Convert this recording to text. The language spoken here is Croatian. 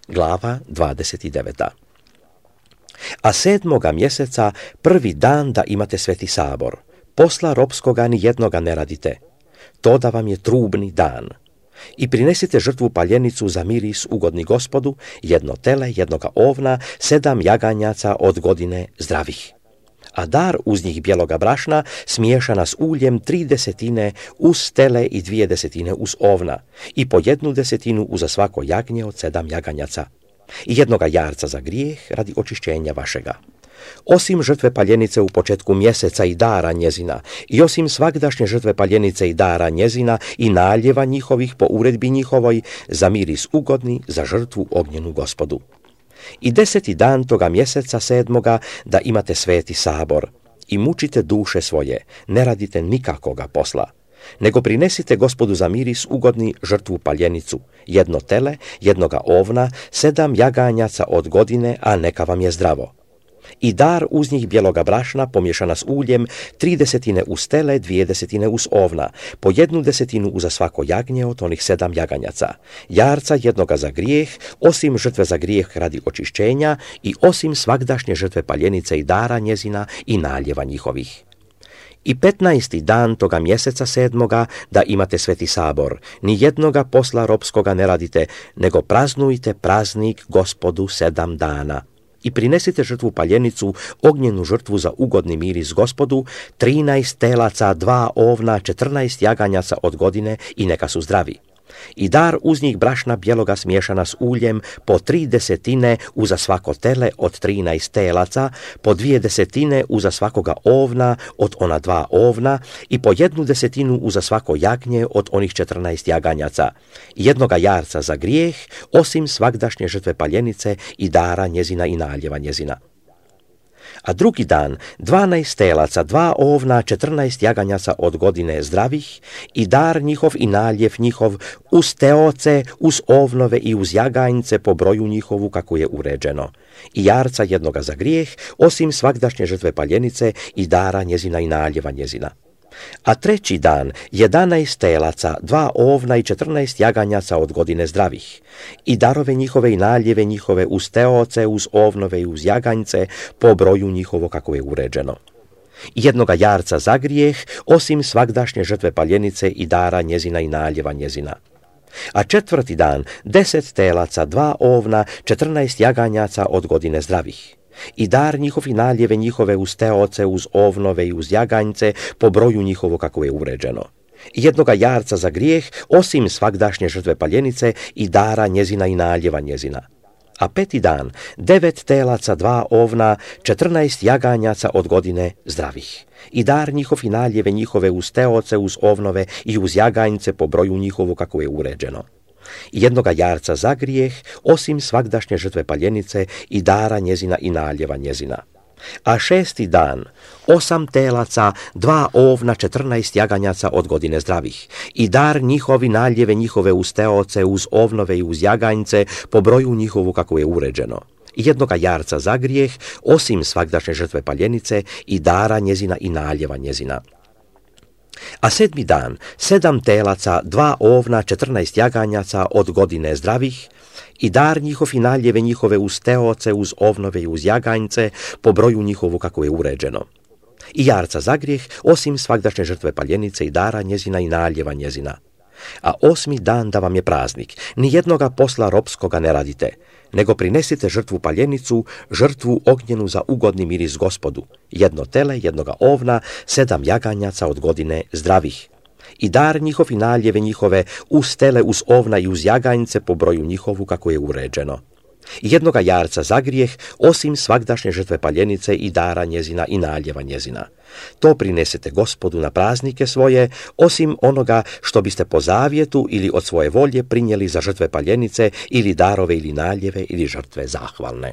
Glava 29. A 7. mjeseca, prvi dan da imate sveti sabor. Posla ropskoga ni jednoga ne radite. To da vam je trubni dan. I prinesite žrtvu paljenicu za miris ugodni Gospodu, 1 tele, 1 ovna, 7 jaganjaca od godine zdravih. A dar uz njih bijeloga brašna smiješana s uljem 3/10 uz tele i 2/10 uz ovna i po 1/10 uza svako jagnje od 7 jaganjaca. I 1 jarca za grijeh radi očišćenja vašega. Osim žrtve paljenice u početku mjeseca i dara njezina, i osim svagdašnje žrtve paljenice i dara njezina i naljeva njihovih po uredbi njihovoj, za miris ugodni, za žrtvu ognjenu Gospodu. I 10. dan toga mjeseca 7. da imate sveti sabor i mučite duše svoje, ne radite nikakoga posla, nego prinesite Gospodu za miris ugodni žrtvu paljenicu, 1 tele, 1 ovna, 7 jaganjaca od godine, a neka vam je zdravo. I dar uz njih bijeloga brašna pomiješana s uljem, 3/10 uz tele, 2/10 uz ovna, po 1/10 uza svako jagnje od onih 7 jaganjaca, jarca 1 za grijeh, osim žrtve za grijeh radi očišćenja i osim svagdašnje žrtve paljenice i dara njezina i naljeva njihovih. I 15. dan toga mjeseca 7. da imate sveti sabor, ni jednoga posla ropskoga ne radite, nego praznujte praznik Gospodu 7 dana. I prinesite žrtvu paljenicu, ognjenu žrtvu za ugodni miris Gospodu, 13 telaca, 2 ovna, 14 jaganjaca od godine i neka su zdravi. I dar uz njih brašna bijeloga smiješana s uljem, po 3/10 uza svako tele od 13 telaca, po 2/10 uza svakoga ovna od ona 2 ovna i po 1/10 uza svako jagnje od onih 14 jaganjaca, 1 jarca za grijeh, osim svagdašnje žrtve paljenice i dara njezina i naljeva njezina. A drugi dan 12 telaca, 2 ovna, 14 jaganjaca od godine zdravih i dar njihov i naljev njihov uz teoce, uz ovnove i uz jaganjce po broju njihovu kako je uređeno. I jarca 1 za grijeh, osim svagdašnje žrtve paljenice i dara njezina i naljeva njezina. A 3. dan 11 telaca, 2 ovna i 14 jaganjaca od godine zdravih i darove njihove i naljeve njihove uz teoce, uz ovnove i uz jaganjce po broju njihovo kako je uređeno. 1 jarca za grijeh, osim svagdašnje žrtve paljenice i dara njezina i naljeva njezina. A 4. dan 10 telaca, 2 ovna, 14 jaganjaca od godine zdravih i dar njihov i naljeve njihove uz teoce, uz ovnove i uz jaganjce po broju njihovo kako je uređeno. 1 jarca za grijeh, osim svagdašnje žrtve paljenice i dara njezina i naljeva njezina. A 5. dan 9 telaca, 2 ovna, 14 jaganjaca od godine zdravih i dar njihov i naljeve njihove uz teoce, uz ovnove i uz jaganjce po broju njihovo kako je uređeno. 1 jarca za grijeh, osim svagdašnje žrtve paljenice i dara njezina i naljeva njezina. A 6. dan 8 telaca, 2 ovna, 14 jaganjaca od godine zdravih i dar njihovi naljeve njihove uz teoce, uz ovnove i uz jaganjce po broju njihovu kako je uređeno. 1 jarca za grijeh, osim svagdašnje žrtve paljenice i dara njezina i naljeva njezina. A 7. dan 7 telaca, 2 ovna, 14 jaganjaca od godine zdravih i dar njihov i naljeve njihove uz teoce, uz ovnove i uz jaganjce po broju njihovu kako je uređeno. I jarca za grijeh, osim svagdašnje žrtve paljenice i dara njezina i naljeva njezina. A 8. dan da vam je praznik, ni jednoga posla ropskoga ne radite, nego prinesite žrtvu paljenicu, žrtvu ognjenu za ugodni miris Gospodu, 1 tele, 1 ovna, 7 jaganjaca od godine zdravih i dar njihov i naljeve njihove uz tele, uz ovna i uz jaganjce po broju njihovu kako je uređeno. 1 jarca za grijeh, osim svagdašnje žrtve paljenice i dara njezina i naljeva njezina. To prinesete Gospodu na praznike svoje, osim onoga što biste po zavjetu ili od svoje volje prinijeli za žrtve paljenice ili darove ili naljeve ili žrtve zahvalne.